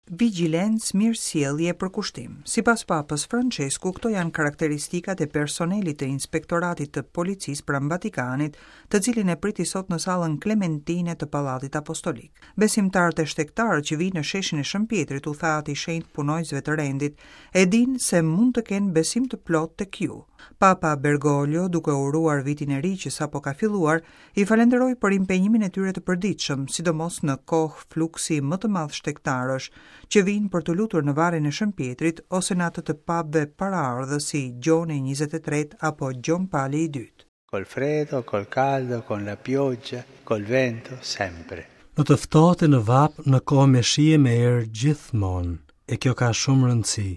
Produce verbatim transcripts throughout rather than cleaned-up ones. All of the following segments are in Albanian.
Vigjilencë, mirësjellje e përkushtim. Sipas Papës Françesku, këto janë karakteristikat e personelit të Inspektoratit të Policisë pranë Vatikanit, të cilin e priti sot në sallën Klementine të Pallatit Apostolik. Besimtarët e shtegtarët që vijnë në sheshin e Shën Pjetrit, u tha Ati i Shenjtë punonjësve të rendit, e dinë se mund të kenë besim të plotë tek ju. Papa Bergoglio, duke uruar vitin e ri që sapo ka filluar, i falenderoi për impenjimin e tyre të përditshëm, sidomos në kohë fluksi më të madh shtegtarësh, që vijnë për të lutur në varrin e Shën Pjetrit ose në atë të papëve paraardhës si Gjoni njëzet e tretë apo Gjon Pali i dytë. Col freddo, col caldo, con la pioggia, col vento, sempre. Në të ftohtë e në vapë, në kohë me shi e me erë, gjithmonë. E kjo ka shumë rëndësi.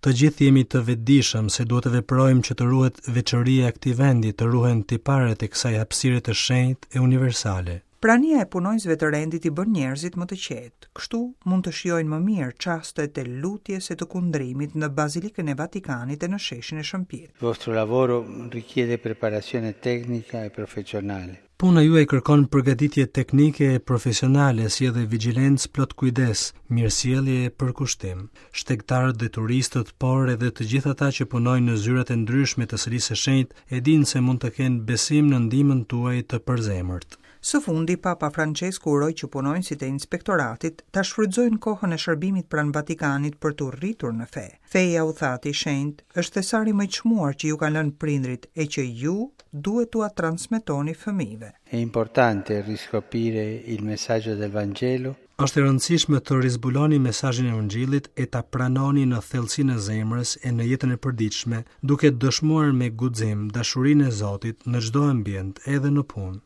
Të gjithë jemi të vetëdijshëm se duhet të veprojmë që të ruhet veçoria e këtij vendi, të ruhen tiparet e kësaj hapësire të shenjtë e universale. Prania e punonjësve të rendit i bën njerëzit më të qetë. Kështu mund të shijojnë më mirë çastet e lutjes e të kundrimit në Bazilikën e Vatikanit e në sheshin e Shën Pjetrit. Il vostro lavoro richiede preparazione tecnica e professionale. Puna juaj kërkon përgatitje teknike e profesionale, si edhe vigjilencë plot kujdes, mirësjellje e përkushtim. Shtegtarët dhe turistët, por edhe të gjithë ata që punojnë në zyrat e ndryshme të Selisë së Shenjtë, e dinë se mund të kenë besim në ndihmën tuaj të përzemërt. Së fundi, Papa Francesku uroi që punonjësit e inspektoratit ta shfrytëzojnë kohën e shërbimit pranë Vatikanit për t'u rritur në fe. Feja, u tha Ati i Shenjtë, është thesari më i çmuar që ju kanë lënë prindrit e që ju duhet t'ua transmetoni fëmijëve. È importante riscoprire il messaggio del Vangelo Është e rëndësishme të rizbuloni mesazhin e Ungjillit e ta pranoni në thellësinë e zemrës e në jetën e përditshme, duke dëshmuar me guxim dashurinë e Zotit në çdo ambient, edhe në punë.